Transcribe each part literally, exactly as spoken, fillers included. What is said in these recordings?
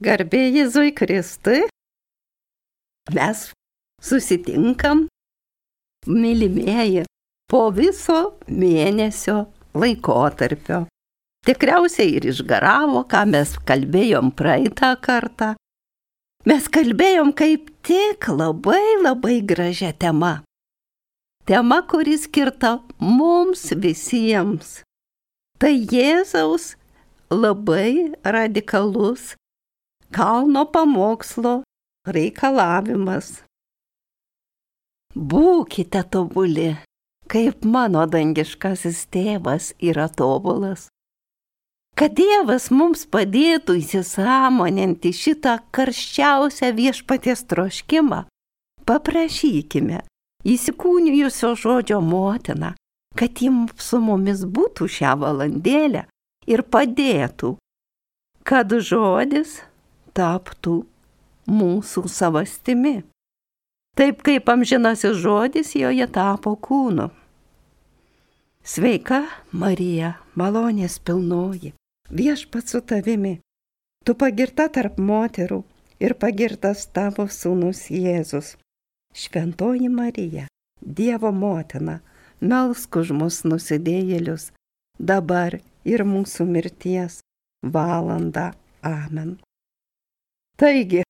Garbė Jėzui Kristui, mes susitinkam, mylimieji, po viso mėnesio laikotarpio. Tikriausiai ir išgaravo, ką mes kalbėjom praeitą kartą. Mes kalbėjom kaip tik labai labai gražia tema. Tema, kuri skirta mums visiems. Tai Jėzaus labai radikalus kalno pamokslo reikalavimas. Būkite tobuli, kaip mano dangiškasis tėvas yra tobulas. Kad Dievas mums padėtų įsisąmoninti šitą karščiausią viešpaties troškimą, paprašykime įsikūnijusio žodžio motiną, kad ji su mumis būtų šią valandėlę ir padėtų, kad žodis taptų mūsų savastimi. Taip kaip amžinasis žodis joje tapo kūnu. Sveika, Marija, malonės pilnoji, viešpats su tavimi. Tu pagirta tarp moterų ir pagirtas tavo sūnus Jėzus. Šventoji Marija, Dievo motina, melsk už mus nusidėjėlius, dabar ir mūsų mirties valandą. Amen. Taigi,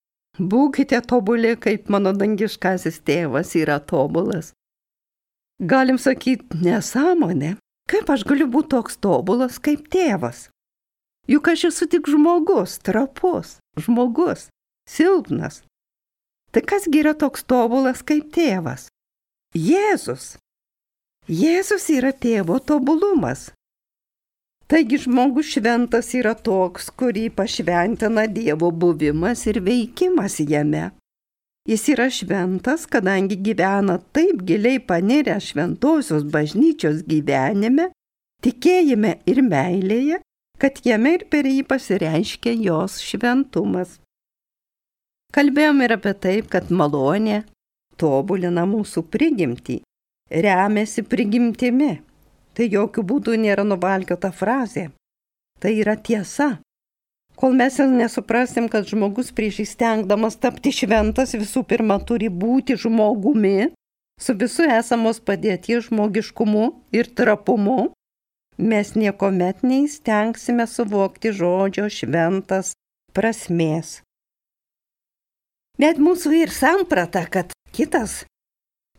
būkite tobuli, kaip mano dangiškasis tėvas yra tobulas. Galim sakyti, nesąmonė, kaip aš galiu būti toks tobulas kaip tėvas. Juk aš esu tik žmogus, trapus, žmogus, silpnas. Tai kasgi yra toks tobulas kaip tėvas? Jėzus. Jėzus yra tėvo tobulumas. Taigi žmogus šventas yra toks, kurį pašventina Dievo buvimas ir veikimas jame. Jis yra šventas, kadangi gyvena taip giliai panirę šventosios bažnyčios gyvenime, tikėjime ir meilėje, kad jame ir per jį pasireiškia jos šventumas. Kalbėjom ir apie taip, kad malonė tobulina mūsų prigimtį, remiasi prigimtimi. Tai jokių būdų nėra nuvalkiota frazė. Tai yra tiesa. Kol mes nesuprasim, kad žmogus prieš įstengdamas tapti šventas visų pirma turi būti žmogumi, su visu esamos padėties žmogiškumu ir trapumu, mes niekuomet neįstengsime suvokti žodžio šventas prasmės. Net mūsų ir samprata, kad kitas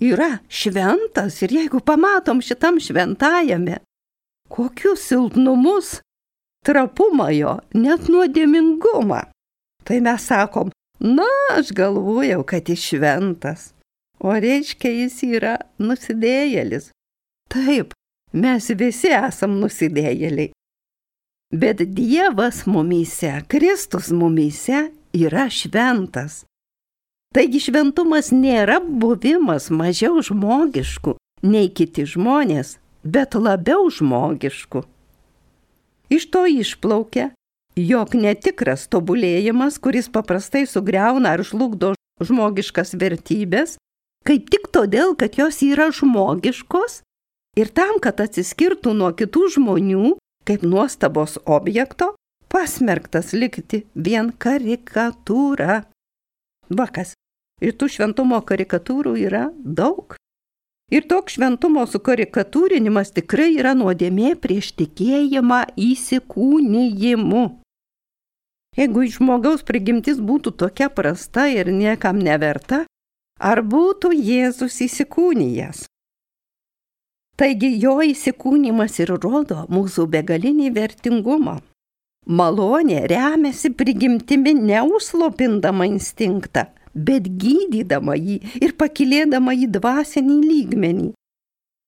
yra šventas ir jeigu pamatom šitam šventajame, kokius silpnumus, trapumą jo, net nuodėmingumą, tai mes sakom, na, aš galvojau, kad jis šventas, o reiškia jis yra nusidėjėlis. Taip, mes visi esam nusidėjėliai. Bet Dievas mumyse, Kristus mumyse yra šventas. Taigi šventumas nėra buvimas mažiau žmogiškų nei kiti žmonės, bet labiau žmogiškų. Iš to išplaukia, jog netikras tobulėjimas, kuris paprastai sugriauna ar žlugdo žmogiškas vertybės, kaip tik todėl, kad jos yra žmogiškos ir tam, kad atsiskirtų nuo kitų žmonių, kaip nuostabos objekto, pasmerktas likti vien karikatūra. Vakas. Ir tų šventumo karikatūrų yra daug. Ir toks šventumo sukarikatūrinimas tikrai yra nuodėmė prieš tikėjimą įsikūnijimu. Jeigu žmogaus prigimtis būtų tokia prasta ir niekam neverta, ar būtų Jėzus įsikūnijęs? Taigi jo įsikūnimas ir rodo mūsų begalinį vertingumą. Malonė remiasi prigimtimi neužslopindama instinktą, bet gydydama jį ir pakilėdama į dvasinį lygmenį.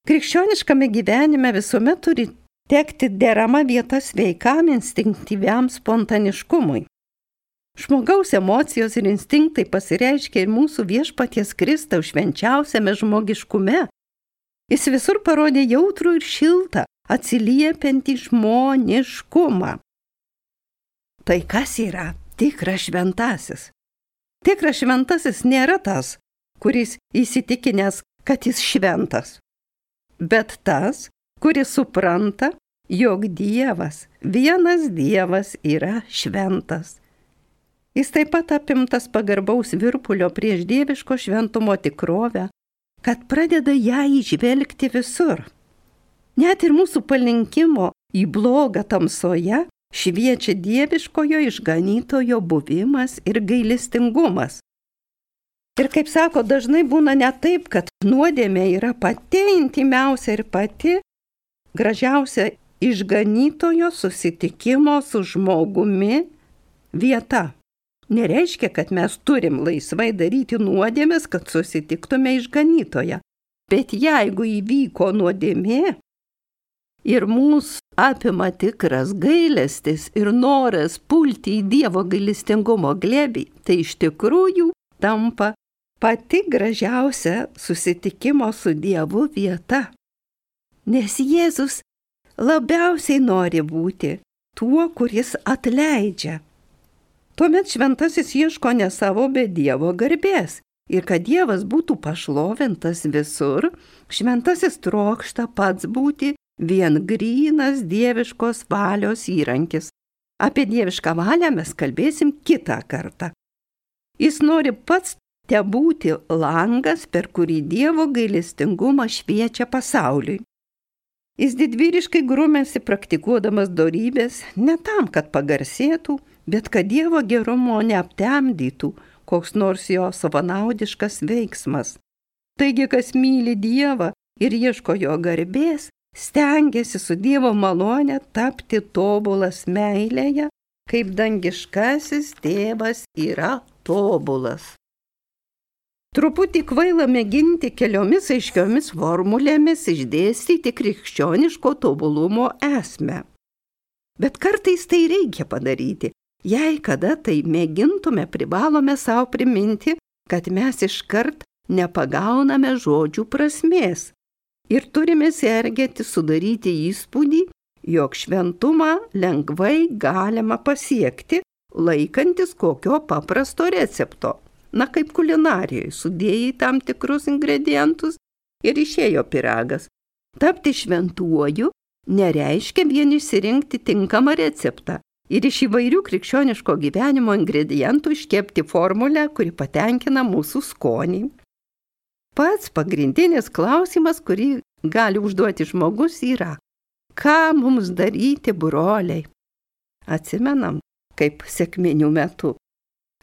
Krikščioniškame gyvenime visuomet turi tekti derama vieta sveikam instinktyviam spontaniškumui. Žmogaus emocijos ir instinktai pasireiškia ir mūsų viešpaties Kristaus švenčiausiame žmogiškume. Jis visur parodė jautrų ir šiltą, atsiliepiantį žmoniškumą. Tai kas yra tikras šventasis? Tikras šventasis nėra tas, kuris įsitikinęs, kad jis šventas, bet tas, kuris supranta, jog Dievas, vienas Dievas yra šventas. Jis taip pat apimtas pagarbaus virpulio prieš dieviško šventumo tikrovę, kad pradeda ją įžvelgti visur. Net ir mūsų palinkimo į blogą tamsoje šviečia dieviškojo išganytojo buvimas ir gailestingumas. Ir kaip sako, dažnai būna ne taip, kad nuodėmė yra pati intimiausia ir pati gražiausia išganytojo susitikimo su žmogumi vieta. Nereiškia, kad mes turim laisvai daryti nuodėmes, kad susitiktume išganytoją. Bet jeigu įvyko nuodėmė ir mūsų apima tikras gailestis ir noras pulti į Dievo gailestingumo glėbį, tai iš tikrųjų tampa pati gražiausia susitikimo su Dievu vieta. Nes Jėzus labiausiai nori būti tuo, kuris atleidžia. Tuomet šventasis ieško ne savo, bet Dievo garbės. Ir kad Dievas būtų pašlovintas visur, šventasis trokšta pats būti vien grynas dieviškos valios įrankis. Apie dievišką valią mes kalbėsim kitą kartą. Jis nori pats te būti langas, per kurį Dievo gailestingumas šviečia pasauliui. Jis didvyriškai grūmėsi praktikuodamas dorybės ne tam, kad pagarsėtų, bet kad Dievo gerumo neaptemdytų koks nors jo savanaudiškas veiksmas. Taigi, kas myli Dievą ir ieško jo garbės, stengiasi su Dievo malone tapti tobulas meilėje, kaip dangiškasis tėvas yra tobulas. Truputį kvaila mėginti keliomis aiškiomis formulėmis išdėstyti krikščioniško tobulumo esmę. Bet kartais tai reikia padaryti. Jei kada tai mėgintume, privalome savo priminti, kad mes iškart nepagauname žodžių prasmės ir turime sergėti sudaryti įspūdį, jog šventumą lengvai galima pasiekti, laikantis kokio paprasto recepto. Na, kaip kulinarijoje, sudėjai tam tikrus ingredientus ir išėjo pyragas. Tapti šventuoju nereiškia vien išsirinkti tinkamą receptą ir iš įvairių krikščioniško gyvenimo ingredientų iškepti formulę, kuri patenkina mūsų skonį. Pats pagrindinis klausimas, kurį gali užduoti žmogus, yra: ką mums daryti, broliai? Atsimenam, kaip sekminių metu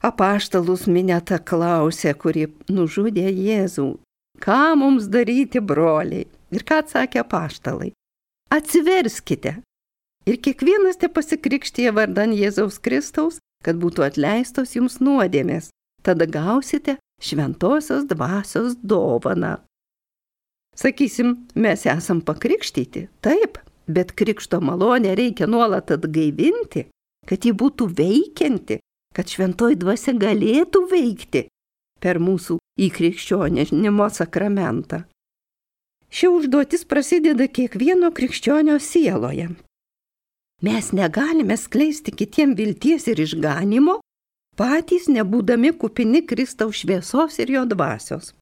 apaštalus minėta klausė, kuri nužudė Jėzų: ką mums daryti, broliai? Ir ką atsakė apaštalai? Atsiverskite. Ir kiekvienas te pasikrikštija vardan Jėzaus Kristaus, kad būtų atleistos jums nuodėmės. Tada gausite šventosios dvasios dovaną. Sakysim, mes esam pakrikštyti, taip, bet krikšto malonę reikia nuolat atgaivinti, kad ji būtų veikianti, kad šventoji dvasia galėtų veikti per mūsų įkrikščionimo sakramentą. Ši užduotis prasideda kiekvieno krikščionio sieloje. Mes negalime skleisti kitiem vilties ir išganimo, patys nebūdami kupini Kristaus šviesos ir jo dvasios.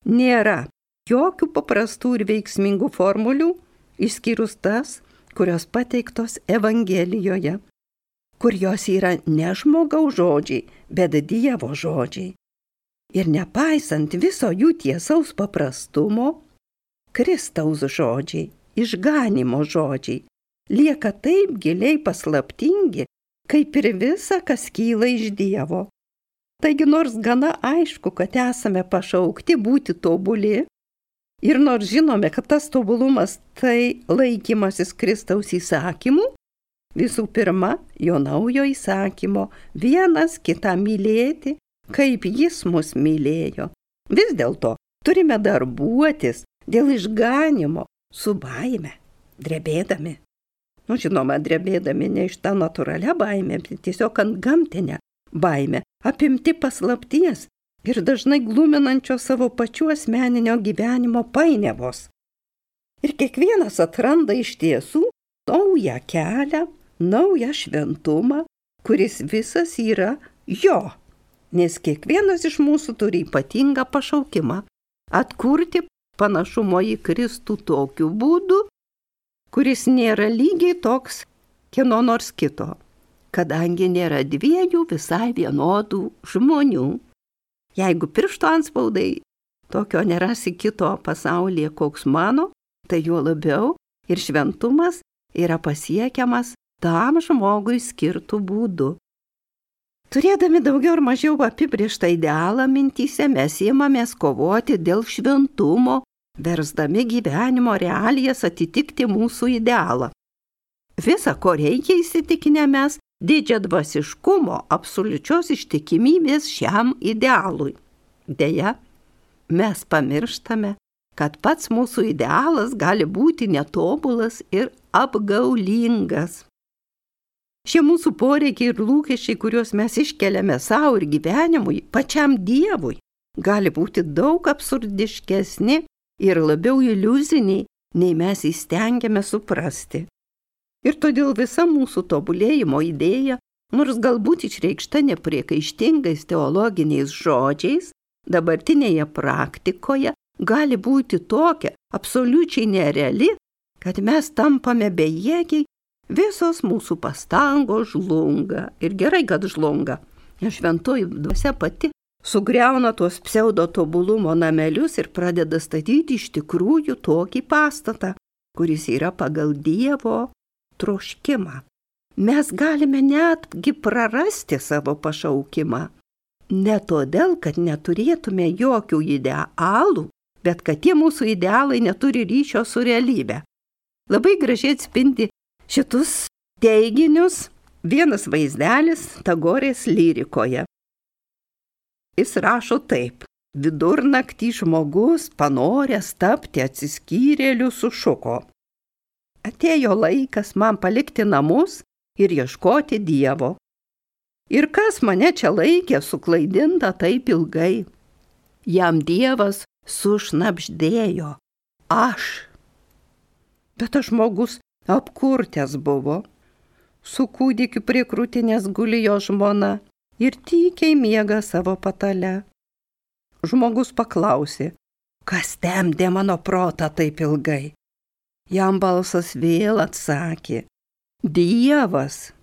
Nėra jokių paprastų ir veiksmingų formulių, išskyrus tas, kurios pateiktos Evangelijoje, kur jos yra ne žmogaus žodžiai, bet Dievo žodžiai. Ir nepaisant viso jų tiesaus paprastumo, Kristaus žodžiai, išganimo žodžiai, lieka taip giliai paslaptingi, kaip ir visa, kas kyla iš Dievo. Taigi nors gana aišku, kad esame pašaukti būti tobuli, ir nors žinome, kad tas tobulumas tai laikymasis Kristaus įsakymų, visų pirma, jo naujo įsakymo vienas kitą mylėti, kaip jis mus mylėjo. Vis dėlto turime darbuotis dėl išganimo su baime, drebėdami. Nu, žinoma, drebėdami ne iš tą natūralią baimę, bet tiesiog ant gamtinę baimę, apimti paslapties ir dažnai gluminančio savo pačių asmeninio gyvenimo painiavos. Ir kiekvienas atranda iš tiesų naują kelią, naują šventumą, kuris visas yra jo. Nes kiekvienas iš mūsų turi ypatingą pašaukimą atkurti panašumo į Kristų tokiu būdu, kuris nėra lygiai toks kieno nors kito. kadangi nėra dviejų visai vienodų žmonių. Jeigu piršto anspaudai tokio nerasi kito pasaulyje, koks mano, tai juo labiau ir šventumas yra pasiekiamas tam žmogui skirtų būdų. Turėdami daugiau ar mažiau apibrėžtą idealą mintyse, mes imamės kovoti dėl šventumo, versdami gyvenimo realijas atitikti mūsų idealą. Visa, ko reikia, įsitikinę mes, didžiadvasiškumo, absoliučios ištikimybės šiam idealui. Deja, mes pamirštame, kad pats mūsų idealas gali būti netobulas ir apgaulingas. Šie mūsų poreikiai ir lūkesčiai, kuriuos mes iškeliame savo ir gyvenimui, pačiam Dievui, gali būti daug absurdiškesni ir labiau iliuziniai, nei mes įstengiame suprasti. Ir todėl visa mūsų tobulėjimo idėja, nors galbūt išreikšta nepriekaištingais teologiniais žodžiais, dabartinėje praktikoje gali būti tokia absoliučiai nereali, kad mes tampame bejėgiai, visos mūsų pastangos žlunga. Ir gerai, kad žlunga. Šventoji dvasia pati sugriauna tuos pseudo tobulumo namelius ir pradeda statyti iš tikrųjų tokį pastatą, kuris yra pagal Dievo troškimą. Mes galime netgi prarasti savo pašaukimą. Ne todėl, kad neturėtume jokių idealų, bet kad tie mūsų idealai neturi ryšio su realybe. Labai gražiai atspindi šitus teiginius vienas vaizdelis Tagorės lyrikoje. Jis rašo taip: vidurnaktį žmogus, panoręs tapti atsiskyrėliu, sušuko: atėjo laikas man palikti namus ir ieškoti Dievo. Ir kas mane čia laikė suklaidinta taip ilgai? Jam Dievas sušnabždėjo: aš. Bet tas žmogus apkurtęs buvo. Su kūdikiu prie krūtinės guli jo žmona ir tykiai miega savo patale. Žmogus paklausė: kas temdė mano protą taip ilgai? Jam balsas vėl atsakė: Dievas.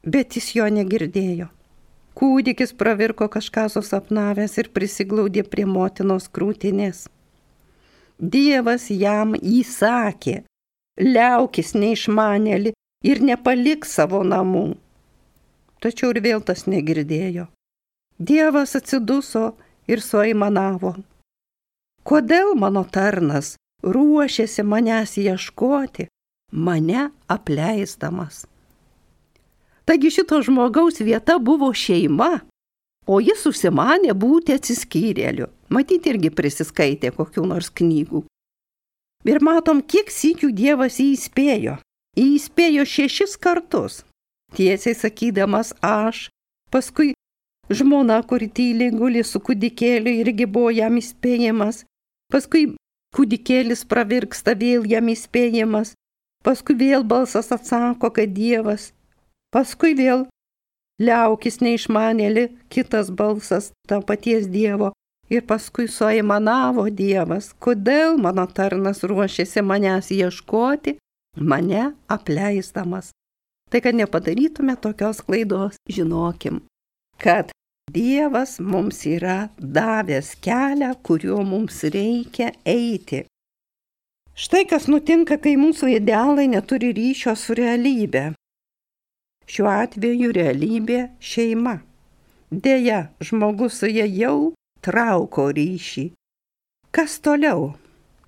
Bet jis jo negirdėjo. Kūdikis pravirko kažką susapnavęs ir prisiglaudė prie motinos krūtinės. Dievas jam įsakė: liaukis neišmanėli ir nepalik savo namų. Tačiau ir vėl tas negirdėjo. Dievas atsiduso ir suaimanavo: kodėl mano tarnas ruošiasi manęs ieškoti, mane apleisdamas? Taigi šito žmogaus vieta buvo šeima, o jis užsimanė būti atsiskyrėliu. Matyt, irgi prisiskaitė kokių nors knygų. Ir matom, kiek sykių Dievas jį įspėjo. Jį įspėjo šešis kartus, tiesiai sakydamas aš, paskui žmona, kuri tyliai guli su kūdikėliu, irgi buvo jam įspėjimas, paskui kūdikėlis pravirksta, vėl jam įspėjimas, paskui vėl balsas atsako, kad Dievas, paskui vėl liaukis neišmanėli, kitas balsas to paties Dievo, ir paskui suaimanavo Dievas: kodėl mano tarnas ruošiasi manęs ieškoti, mane apleisdamas. Tai, kad nepadarytume tokios klaidos, žinokim, kad Dievas mums yra davęs kelią, kuriuo mums reikia eiti. Štai kas nutinka, kai mūsų idealai neturi ryšio su realybė. Šiuo atveju realybė šeima. Deja, žmogus su ja jau trauko ryšį. Kas toliau?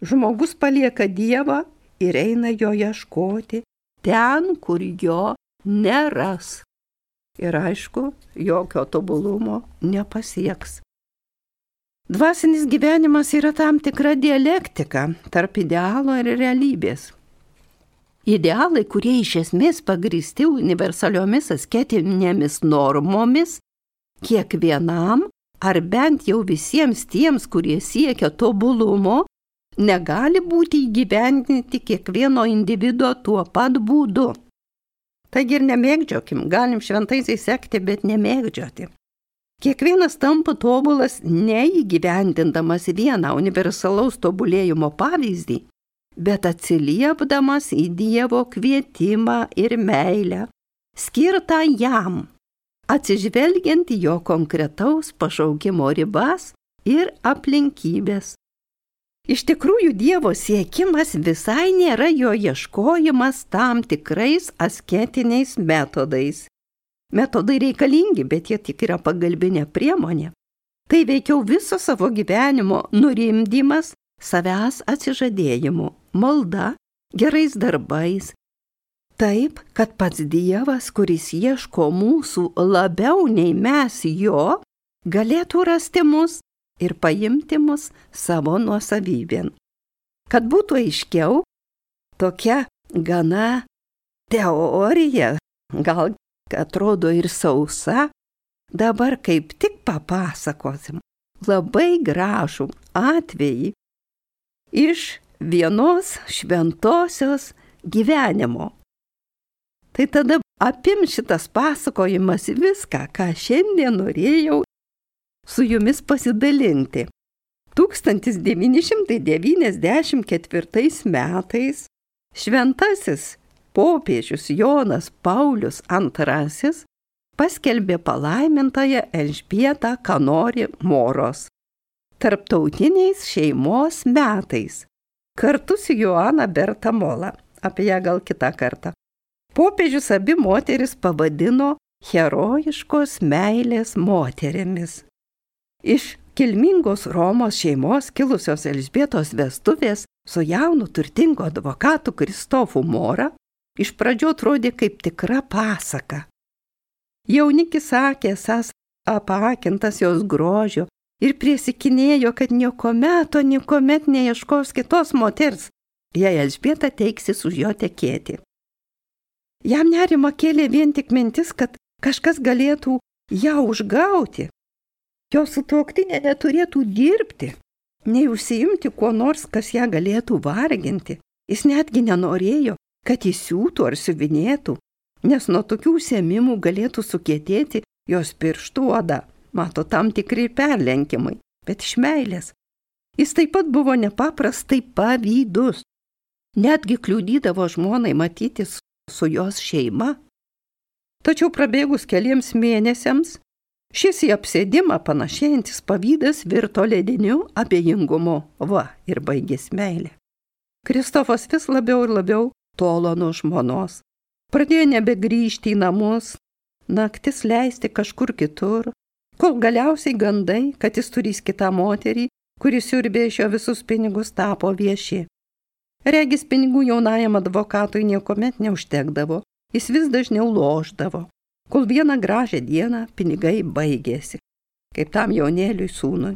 Žmogus palieka Dievą ir eina jo ieškoti ten, kur jo neras. Ir aišku, jokio tobulumo nepasieks. Dvasinis gyvenimas yra tam tikra dialektika tarp idealo ir realybės. Idealai, kurie iš esmės pagristi universaliomis asketinėmis normomis, kiekvienam ar bent jau visiems tiems, kurie siekia tobulumo, negali būti įgyvendinti kiekvieno individo tuo pat būdu. Taigi ir nemėgdžiokim, galim šventaisiai sekti, bet nemėgdžioti. Kiekvienas tampa tobulas neįgyvendindamas vieną universalaus tobulėjimo pavyzdį, bet atsiliepdamas į Dievo kvietimą ir meilę, skirtą jam, atsižvelgiant į jo konkretaus pašaukimo ribas ir aplinkybės. Iš tikrųjų, Dievo siekimas visai nėra jo ieškojimas tam tikrais asketiniais metodais. Metodai reikalingi, bet jie tik yra pagalbinė priemonė. Tai veikiau viso savo gyvenimo nurimdymas savęs atsižadėjimu, malda, gerais darbais. Taip, kad pats Dievas, kuris ieško mūsų labiau nei mes jo, galėtų rasti mus ir paimti mus savo nuosavybėn. Kad būtų aiškiau, tokia gana teorija, gal atrodo ir sausa, dabar kaip tik papasakosim labai gražų atvejį iš vienos šventosios gyvenimo. Tai tada apim šitas pasakojimas viską, ką šiandien norėjau su jumis pasidalinti. tūkstantis devyni šimtai devyniasdešimt ketvirtais metais šventasis popiežius Jonas Paulius antrasis paskelbė palaimintąją Elžbietą Kanori Moros tarptautiniais šeimos metais, kartu su Joana Berta Mola, apie ją gal kitą kartą. Popiežius abi moteris pavadino herojiškos meilės moterimis. Iš kilmingos Romos šeimos kilusios Elžbietos vestuvės su jaunu turtingu advokatu Kristofu Mora iš pradžių atrodė kaip tikra pasaka. Jaunikis sakė, esąs apakintas jos grožio ir priesikinėjo, kad niekuomet, o niekuomet neieškos kitos moters, jei Elžbieta teiksis už jo tekėti. Jam nerima kėlė vien tik mintis, kad kažkas galėtų ją užgauti. Jo sutuoktinė neturėtų dirbti, nei užsiimti kuo nors, kas ją galėtų varginti. Jis netgi nenorėjo, kad jis siūtų ar siuvinėtų, nes nuo tokių užsiėmimų galėtų sukietėti jos pirštų oda. Mato, tam tikri perlenkimai, bet iš meilės. Jis taip pat buvo nepaprastai pavydus. Netgi kliudydavo žmonai matytis su jos šeima. Tačiau prabėgus keliems mėnesiams, šis į apsėdimą panašėjantis pavydas virto lediniu abejingumu. Va, ir baigės meilė. Kristofas vis labiau ir labiau tolo nuo žmonos. Pradėjo nebegrįžti į namus, naktis leisti kažkur kitur, kol galiausiai gandai, kad jis turės kitą moterį, kuris siurbė iš jo visus pinigus, tapo vieši. Regis pinigų jaunajam advokatui niekuomet neužtekdavo, jis vis dažniau lošdavo, kol vieną gražią dieną pinigai baigėsi, kaip tam jaunėliui sūnui,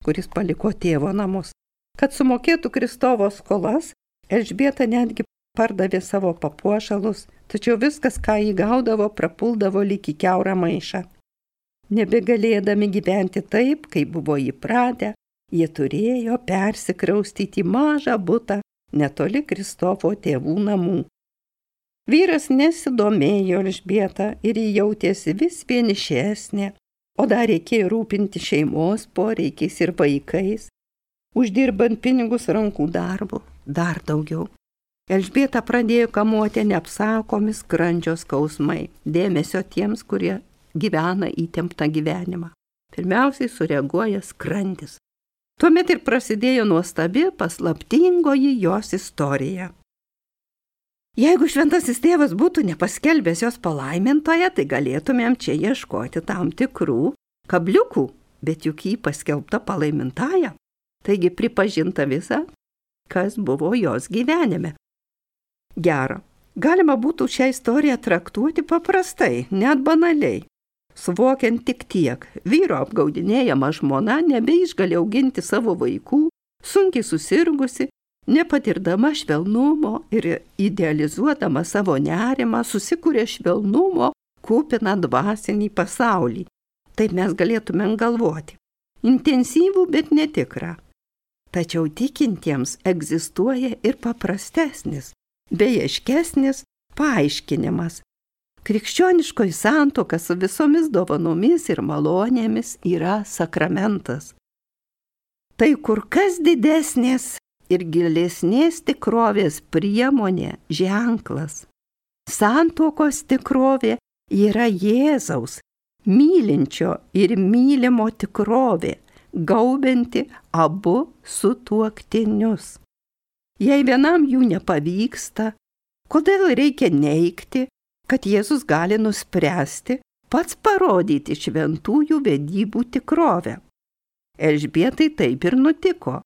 kuris paliko tėvo namus. Kad sumokėtų Kristovo skolas, Elžbieta netgi pardavė savo papuošalus, tačiau viskas, ką jį gaudavo, prapuldavo lyg į kiaurą maišą. Nebegalėdami gyventi taip, kaip buvo įpratę, jie turėjo persikraustyti į mažą butą netoli Kristofo tėvų namų. Vyras nesidomėjo Elžbieta ir jį jautėsi vis vienišesnė, o dar reikėjo rūpinti šeimos poreikiais ir vaikais, uždirbant pinigus rankų darbu dar daugiau. Elžbieta pradėjo kamuoti neapsakomi skrandžio skausmai, dėmesio tiems, kurie gyvena įtemptą gyvenimą. Pirmiausiai sureaguoja skrandis. Tuomet ir prasidėjo nuostabi paslaptingoji jos istorija. Jeigu šventasis tėvas būtų nepaskelbęs jos palaimintoje, tai galėtumėm čia ieškoti tam tikrų kabliukų, bet juk jį paskelbta palaimintaja, taigi pripažinta visa, kas buvo jos gyvenime. Gera, galima būtų šią istoriją traktuoti paprastai, net banaliai. Suvokiant tik tiek, vyro apgaudinėjama žmona nebeišgali auginti savo vaikų, sunkiai susirgusi, nepatirdama švelnumo ir idealizuodama savo nerimą, susikūrė švelnumo kupiną dvasinį pasaulį. Taip mes galėtumėm galvoti. Intensyvų, bet netikrą. Tačiau tikintiems egzistuoja ir paprastesnis, bejaiškesnis paaiškinimas. Krikščioniškoji santuoka su visomis dovanomis ir malonėmis yra sakramentas. Tai kur kas didesnės ir gilesnės tikrovės priemonė, ženklas. Santuokos tikrovė yra Jėzaus, mylinčio ir mylimo tikrovė, gaubianti abu sutuoktinius. Jei vienam jų nepavyksta, kodėl reikia neigti, kad Jėzus gali nuspręsti pats parodyti šventųjų vedybų tikrovę? Elžbietai taip ir nutiko.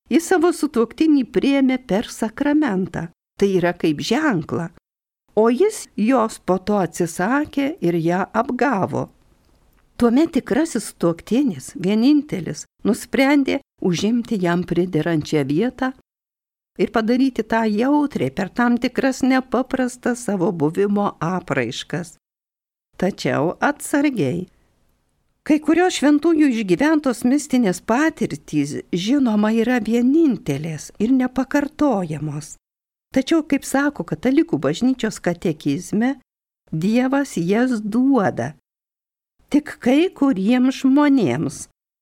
Ji savo sutuoktinį priėmė per sakramentą, tai yra kaip ženklą, o jis jos po to atsisakė ir ją apgavo. Tuomet tikrasis sutuoktinis, vienintelis, nusprendė užimti jam priderančią vietą ir padaryti tą jautriai per tam tikras nepaprastas savo buvimo apraiškas. Tačiau atsargiai. Kai kurios šventųjų išgyventos mistinės patirtys, žinoma, yra vienintelės ir nepakartojamos. Tačiau, kaip sako katalikų bažnyčios katekizme, Dievas jas duoda tik kai kuriems žmonėms,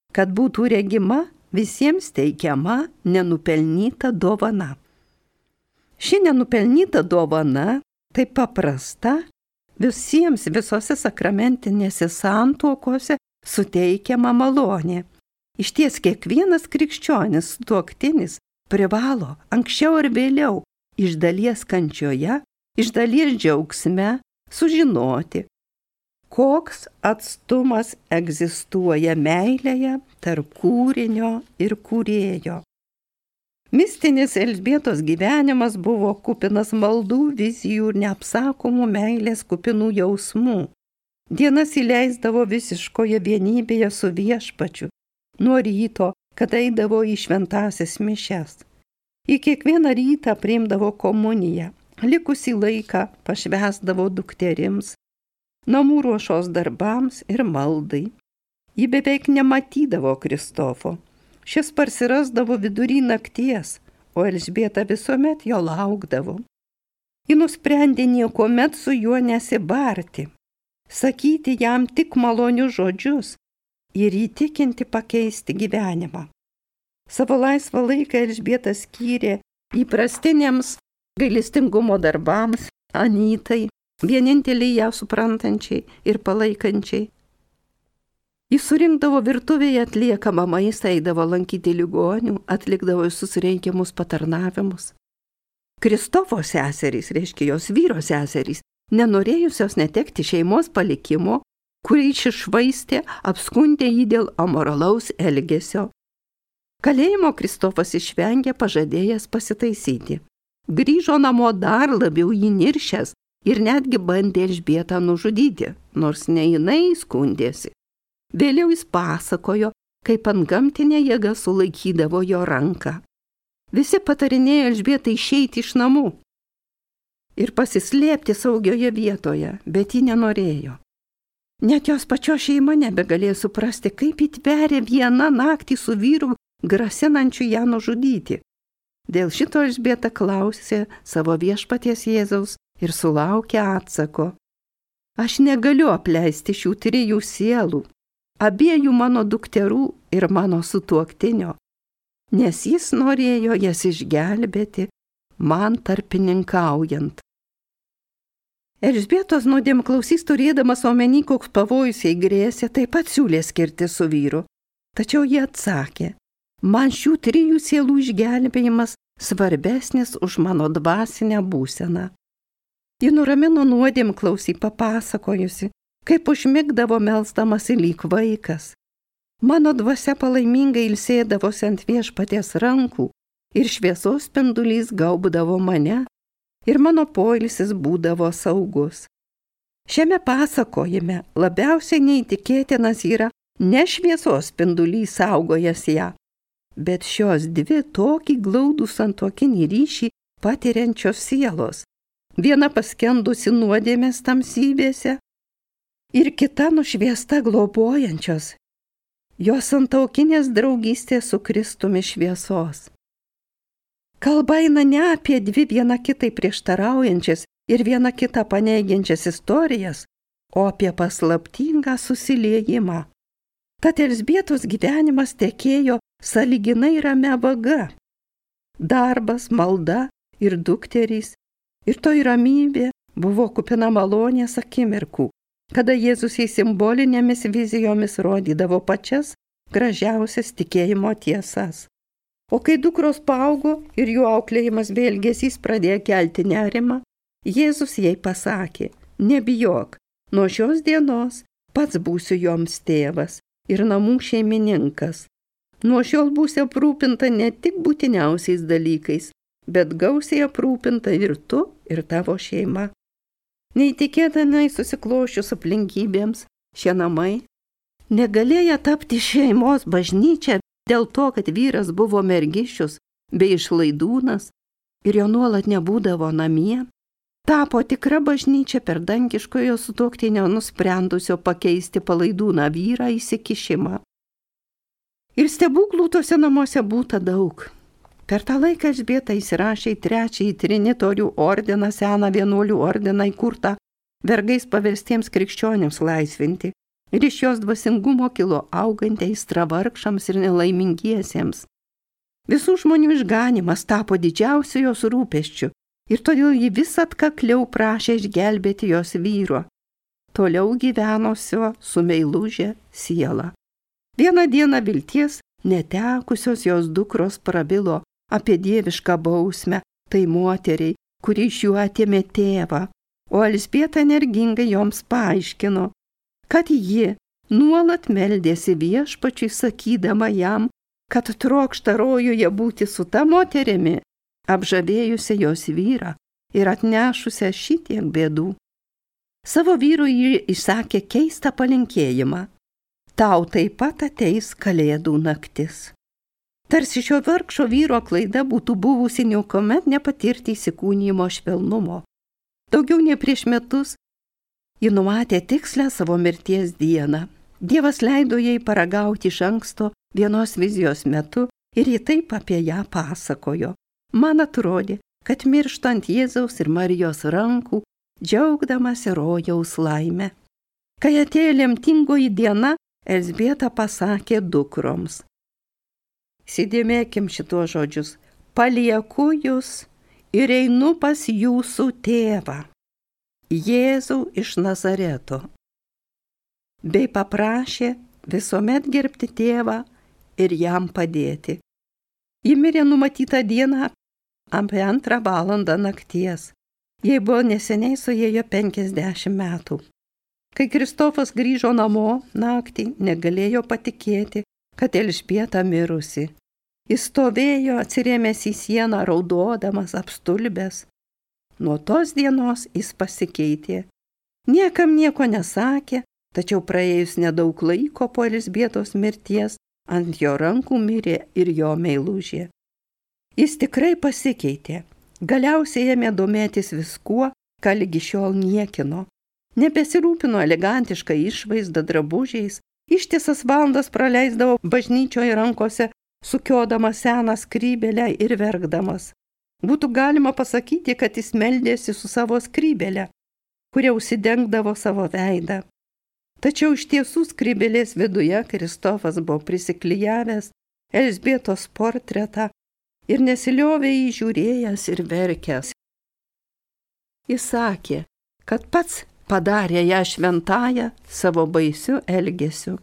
kad būtų regima visiems teikiama nenupelnyta dovana. Ši nenupelnyta dovana taip paprasta visiems visose sakramentinėse santuokose suteikiama malonė. Išties kiekvienas krikščionis sutuoktinis privalo anksčiau ar vėliau iš dalies kančioje, iš dalies džiaugsme sužinoti, koks atstumas egzistuoja meilėje tarp kūrinio ir kūrėjo. Mistinis Elžbietos gyvenimas buvo kupinas maldų, vizijų ir neapsakomų meilės kupinų jausmų. Dienas įleisdavo visiškoje vienybėje su Viešpačiu, nuo ryto, kada eidavo į šventąsias mišias. Į kiekvieną rytą priimdavo komuniją, likusį laiką pašvęsdavo dukterims, namų ruošos darbams ir maldai. Ji beveik nematydavo Kristofo. Šis parsirasdavo vidury nakties, o Elžbieta visuomet jo laukdavo. Ji nusprendė niekuomet su juo nesibarti, sakyti jam tik malonius žodžius ir įtikinti pakeisti gyvenimą. Savo laisvą laiką Elžbieta skyrė įprastiniams gailestingumo darbams, Anytai, vieninteliai ją suprantančiai ir palaikančiai. Jis surinkdavo virtuvėje atliekamą maistą, eidavo lankyti ligonių, atlikdavo visus reikiamus patarnavimus. Kristofo seserys, reiškia jos vyro seserys, nenorėjusios netekti šeimos palikimo, kurį iššvaistė, apskundė jį dėl amoralaus elgesio. Kalėjimo Kristofas išvengė, pažadėjęs pasitaisyti. Grįžo namo dar labiau įniršęs ir netgi bandė Elžbietą nužudyti, nors ne jinai skundėsi. Vėliau jis pasakojo, kaip antgamtinė jėga sulaikydavo jo ranką. Visi patarinėjo Elžbietai išeiti iš namų ir pasislėpti saugioje vietoje, bet ji nenorėjo. Net jos pačios šeima nebegalėjo suprasti, kaip įtverė vieną naktį su vyru grasinančiu ją nužudyti. Dėl šito Elžbieta klausė savo Viešpaties Jėzaus ir sulaukė atsako: Aš negaliu apleisti šių trijų sielų, abiejų mano dukterų ir mano sutuoktinio, nes jis norėjo jas išgelbėti, man tarpininkaujant. Elžbietos nuodėmklausys, turėdamas omeny, koks pavojus jai grėsė, taip pat siūlė skirti su vyru. Tačiau jie atsakė: man šių trijų sielų išgelbėjimas svarbesnis už mano dvasinę būseną. Ji nuramino nuodėmklausį, papasakojusi, kaip užmigdavo melsdamasi lyg vaikas. Mano dvasia palaimingai ilsėdavosi ant Viešpaties rankų ir šviesos spindulys gaubdavo mane ir mano poilsis būdavo saugus. Šiame pasakojime labiausiai neįtikėtinas yra ne šviesos spindulys saugojęs ją, bet šios dvi tokį glaudų santuokinį ryšį patiriančios sielos. Viena paskendusi nuodėmės tamsybėse ir kita nušviesta globojančios, jos santuokinės draugystės su Kristumi šviesos. Kalba eina ne apie dvi viena kitai prieštaraujančias ir viena kitą paneigiančias istorijas, o apie paslaptingą susiliejimą. Tad Elžbietos gyvenimas tekėjo sąlyginai ramia vaga. Darbas, malda ir dukterys, ir toj ramybė buvo kupina malonės akimirkų, kada Jėzus į simbolinėmis vizijomis rodydavo pačias gražiausias tikėjimo tiesas. O kai dukros paaugo ir jų auklėjimas bei elgesys pradėjo kelti nerimą, Jėzus jai pasakė: nebijok, nuo šios dienos pats būsiu joms tėvas ir namų šeimininkas. Nuo šiol būsi aprūpinta ne tik būtiniausiais dalykais, bet gausiai aprūpinta ir tu, ir tavo šeima. Neįtikėtinai susiklošius aplinkybėms, šie namai negalėjo tapti šeimos bažnyčia dėl to, kad vyras buvo mergišius bei išlaidūnas ir jo nuolat nebūdavo namie, tapo tikra bažnyčia per dangiškojo sutuoktinio nusprendusio pakeisti palaidūną vyrą įsikišimą. Ir stebuklų tose namuose būta daug. Per tą laiką Elžbieta įsirašė į trečiąjį trinitorių ordiną, seną vienuolių ordiną įkurtą vergais paverstiems krikščionims laisvinti, ir iš jos dvasingumo kilo auganti aistra vargšams ir nelaimingiesiems. Visų žmonių išganimas tapo didžiausiu jos rūpesčiu, ir todėl ji vis atkakliau prašė išgelbėti jos vyro, toliau gyvenusio su meiluže siela. Vieną dieną vilties netekusios jos dukros prabilo apie dievišką bausmę tai moteriai, kuri iš jų atėmė tėvą, o Elžbieta energingai joms paaiškino, kad ji nuolat meldėsi viešpačiui, sakydama jam, kad trokšta rojuje būti su ta moterimi, apžavėjusia jos vyrą ir atnešusia šitiek bėdų. Savo vyrui ji išsakė keistą palinkėjimą: tau taip pat ateis kalėdų naktis. Tarsi šio vargšo vyro klaida būtų buvusi niekuomet nepatirti įsikūnijimo švelnumo. Daugiau nei prieš metus ji numatė tikslę savo mirties dieną. Dievas leido jai paragauti iš anksto vienos vizijos metu ir ji taip apie ją pasakojo. Man atrodė, kad mirštant Jėzaus ir Marijos rankų, džiaugdamasi rojaus laimę. Kai atėjo lemtingoji diena, Elžbieta pasakė dukroms: įsidėmėkim šituos žodžius: palieku jūs ir einu pas jūsų tėvą, Jėzų iš Nazareto. Bei paprašė visuomet gerbti tėvą ir jam padėti. Ji mirė numatytą dieną apie antrą valandą nakties. Jai buvo neseniai suėjo penkiasdešimt metų. Kai Kristofas grįžo namo naktį, negalėjo patikėti, kad Elžbieta mirusi. Jis stovėjo atsirėmęs į sieną, raudodamas, apstulbęs. Nuo tos dienos jis pasikeitė. Niekam nieko nesakė, tačiau praėjus nedaug laiko po Elžbietos mirties, ant jo rankų mirė ir jo meilužė. Jis tikrai pasikeitė. Galiausiai ėmė domėtis viskuo, ką lygi šiol niekino. Nebesirūpino elegantišką išvaizdą, drabužiais, ištisas valandas praleisdavo bažnyčioje rankose, sukiodamas seną skrybėlę ir verkdamas. Būtų galima pasakyti, kad jis meldėsi su savo skrybėle, kuria užsidengdavo savo veidą. Tačiau iš tiesų skrybėlės viduje Kristofas buvo prisiklijavęs Elžbietos portretą ir nesiliovė jį žiūrėjęs ir verkęs. Jis sakė, kad pats padarė ją šventąją savo baisiu elgesiu.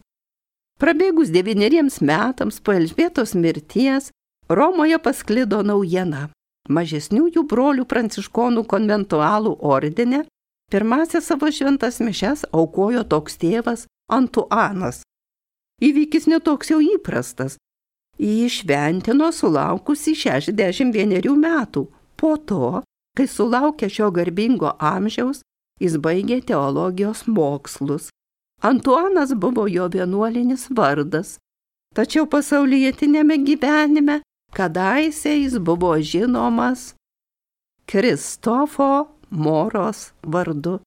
Prabėgus devyneriems metams po Elžbietos mirties, Romoje pasklido naujiena. Mažesniųjų brolių pranciškonų konventualų ordine pirmąsias savo šventas mišias aukojo toks tėvas Antuanas. Įvykis netoks jau įprastas. Jį šventino sulaukusi šešiasdešimt vienerių metų. Po to, kai sulaukė šio garbingo amžiaus, jis baigė teologijos mokslus. Antuanas buvo jo vienuolinis vardas, tačiau pasaulietinėme gyvenime kadaise jis buvo žinomas Kristofo Moros vardu.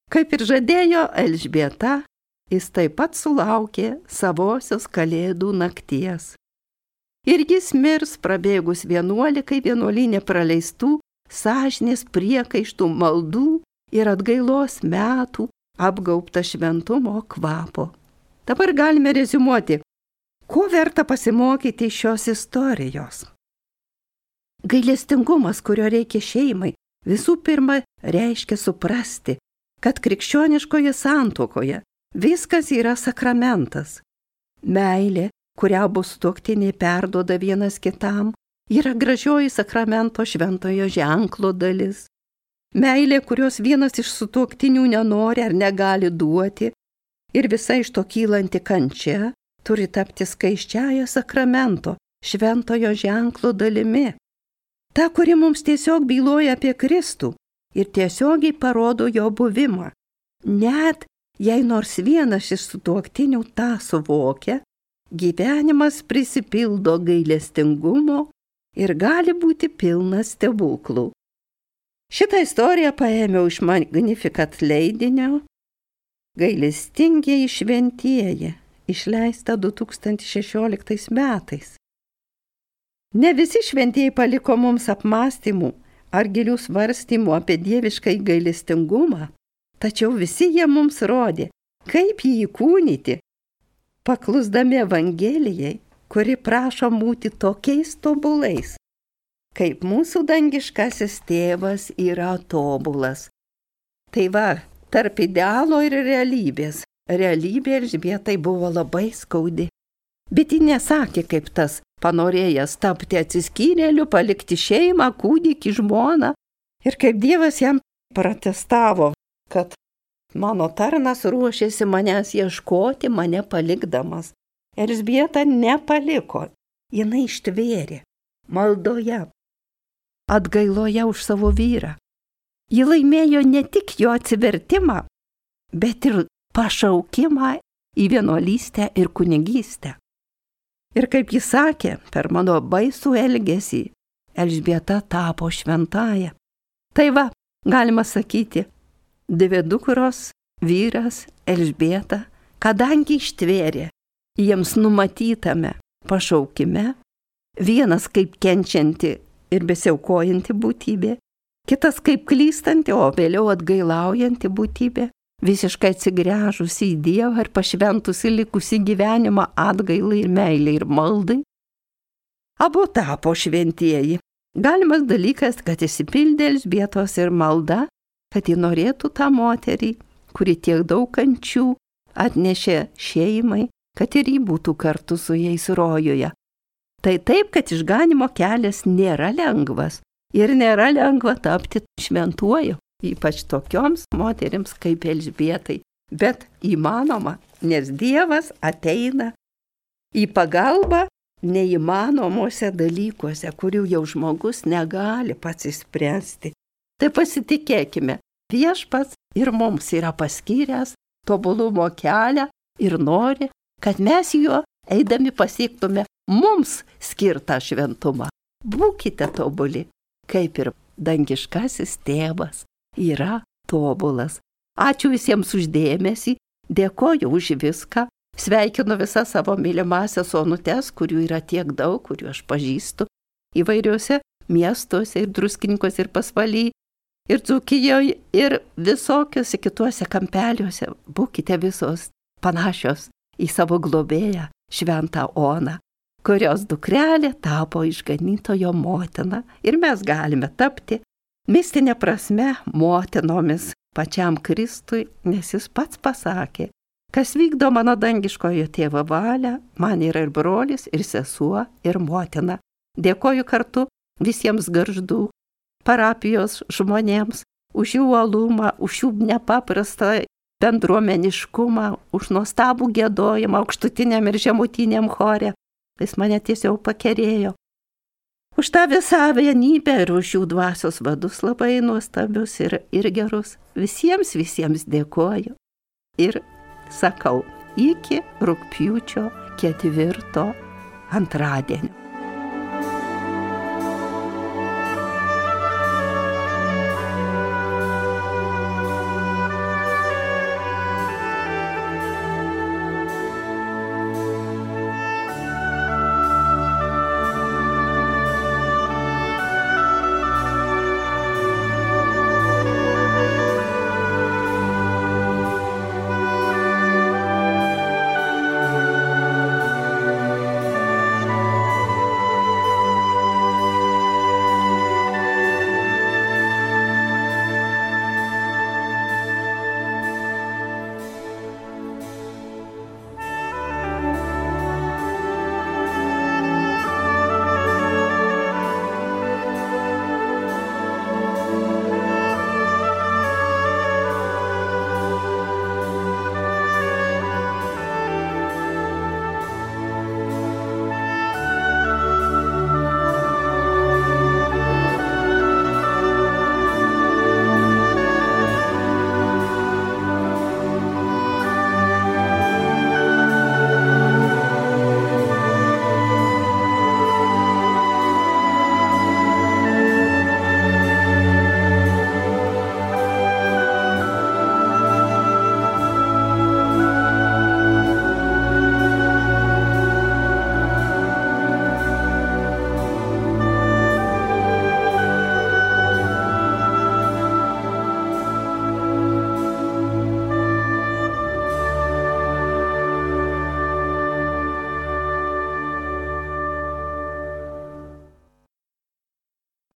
Kaip ir žadėjo Elžbieta, jis taip pat sulaukė savosios kalėdų nakties. Ir jis mirs prabėgus vienuolikai vienuolyne praleistų sąžinės priekaištų maldų ir atgailos metų, apgaubta šventumo kvapo. Dabar galime reziumuoti, ko verta pasimokyti iš šios istorijos. Gailestingumas, kurio reikia šeimai, visų pirma reiškia suprasti, kad krikščioniškoje santuokoje viskas yra sakramentas. Meilė, kurią abu sutuoktiniai perduoda vienas kitam, yra gražioji sakramento šventojo ženklo dalis. Meilė, kurios vienas iš sutuoktinių nenori ar negali duoti, ir visa iš to kylanti kančia, turi tapti skaisčiąja sakramento šventojo ženklo dalimi. Ta, kuri mums tiesiog byloja apie Kristų ir tiesiogiai parodo jo buvimą. Net jei nors vienas iš sutuoktinių tą suvokia, gyvenimas prisipildo gailestingumo ir gali būti pilnas stebuklų. Šitą istoriją paėmiau iš Magnificat leidinio Gailestingieji šventieji, išleista du tūkstančiai šešioliktais metais. Ne visi šventieji paliko mums apmąstymų ar gilių svarstymų apie dievišką gailestingumą, tačiau visi jie mums rodė, kaip jį įkūnyti, paklusdami Evangelijai, kuri prašo būti tokiais tobulais, kaip mūsų dangiškasis tėvas yra tobulas. Tai va, tarp idealo ir realybės. Realybė Elžbietai buvo labai skaudi. Bet ji nesakė, kaip tas panorėjęs tapti atsiskyrėliu, palikti šeimą, kūdikį, žmoną. Ir kaip Dievas jam protestavo, kad mano tarnas ruošėsi manęs ieškoti, mane palikdamas. Elžbieta nepaliko, jinai ištvėrė maldoje, atgailoje už savo vyrą. Ji laimėjo ne tik jo atsivertimą, bet ir pašaukimą į vienuolystę ir kunigystę. Ir kaip jis sakė, per mano baisų elgesį Elžbieta tapo šventąja. Tai va, galima sakyti, dvi dukros, vyras, Elžbieta, kadangi ištvėrė jiems numatytame pašaukime, vienas kaip kenčianti ir besiaukojanti būtybė, kitas kaip klystanti, o vėliau atgailaujanti būtybė, visiškai atsigręžusi į Dievą ir pašventusi likusį gyvenimą atgailai ir meilai ir maldai. Abu tapo šventieji. Galimas dalykas, kad išsipildė Elžbietos ir malda, kad ji norėtų tą moterį, kuri tiek daug kančių atnešė šeimai, kad ir ji būtų kartu su jais rojuje. Tai taip, kad išganimo kelias nėra lengvas ir nėra lengva tapti šventuoju, ypač tokioms moterims kaip Elžbietai. Bet įmanoma, nes Dievas ateina į pagalbą neįmanomuose dalykuose, kurių jau žmogus negali pats išspręsti. Tai pasitikėkime, Viešpats ir mums yra paskyręs tobulumo kelią ir nori, kad mes juo eidami pasiektume mums skirtą šventumą. Būkite tobuli, kaip ir dangiškasis tėvas yra tobulas. Ačiū visiems už dėmesį, dėkoju už viską, sveikinu visas savo mylimasias onutes, kurių yra tiek daug, kurių aš pažįstu įvairiuose miestuose ir Druskininkuose ir Pasvaly, ir Dzūkijoje, ir visokiuose kituose kampeliuose. Būkite visos panašios į savo globėją, šventą Oną, kurios dukrelė tapo išganytojo motina. Ir mes galime tapti mistinė prasme motinomis pačiam Kristui, nes jis pats pasakė, kas vykdo mano dangiškojo tėvo valią, man yra ir brolis, ir sesuo, ir motina. Dėkoju kartu visiems Gargždų parapijos žmonėms už jų uolumą, už jų nepaprastą bendruomeniškumą, už nuostabų giedojimą aukštutiniam ir žemutiniam chore. Jis mane tiesiog pakerėjo. Už tą visą vienybę ir už jų dvasios vadus labai nuostabius ir, ir gerus. Visiems, visiems dėkoju. Ir sakau, iki rugpjūčio ketvirto antradienio.